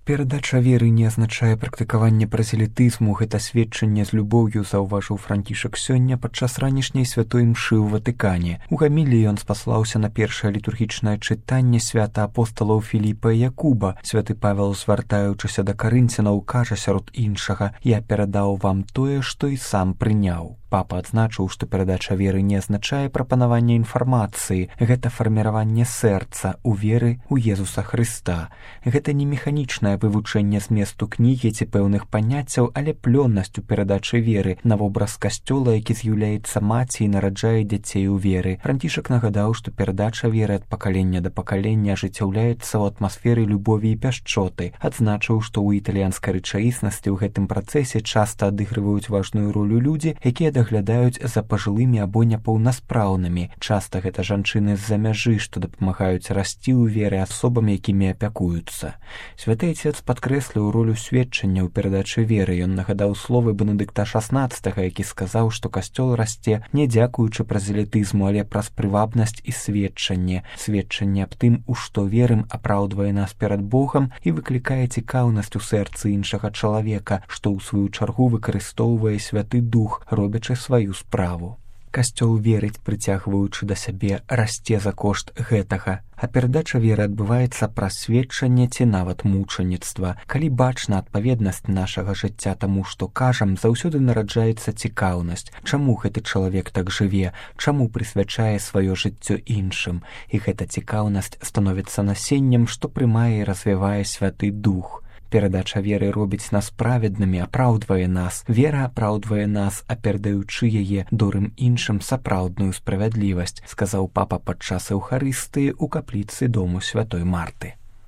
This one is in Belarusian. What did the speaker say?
Перадача веры не азначае практыкаванне празелітызму, гэта сведчанне з любоўю, заўважыў Францішак сёння падчас ранішняй святой імшы ў Ватыкане. У гаміліі ён спаслаўся на першае літургічнае чытанне свята апосталаў Філіпа і Якуба. Святы Павел, звяртаючыся да карынцянаў, кажа сярод іншага: «Я перадаў вам тое, што і сам прыняў». Папа адзначыў, што перадача веры не азначае прапанаванне інфармацыі, гэта фарміраванне сэрца ў веры ў Езуса Хрыста. Гэта не механічнае вывучэнне зместу кнігі ці пэўных паняццяў, але плённасць у перадачы веры на вобраз касцёла, які з'яўляецца маці і нараджае дзяцей у веры. Францішак нагадаў, што перадача веры ад пакалення да пакалення ажыццяўляецца ў атмасферы любові і пяшчоты. Адзначыў, што ў італьянскай рэчаіснасці ў гэтым працэсе часта адыгрываюць важную ролю людзі, якія даглядаюць за пажылымі або непаўнаспраўнымі. Часта гэта жанчыны з-за мяжы, што дапамагаюць расці ў веры асобам, якімі апякуюцца. Святы Отец падкрэсліў ролю сведчання ў перадачы веры. Ён нагадаў словы Бенедыкта XVI, які сказаў, што касцёл расце не дзякуючы празелітызму, але праз прывабнасць і сведчанне. Сведчанне аб тым, у што верым, апраўдвае нас перад Богам і выклікае цікаўнасць у сэрцы іншага чалавека, што ў сваю чаргу выкарыстоўвае Святы Дух, робячы сваю справу. Касцёл верыць, прыцягваючы да сябе, расце за кошт гэтага. А перадача веры адбываецца праз сведчанне ці нават мучаніцтва. Калі бачна адпаведнасць нашага жыцця таму, што кажам, заўсёды нараджаецца цікаўнасць. Чаму гэты чалавек так жыве? Чаму прысвячае сваё жыццё іншым? І гэта цікаўнасць становіцца насеннем, што прымае і развівае Святы Дух. Перадача веры робіць нас праведнымі, апраўдвае нас. Вера апраўдвае нас, а перадаючы яе добрым іншым сапраўдную справядлівасць, сказаў папа падчас эўхарыстыі ў капліцы дому Святой Марты.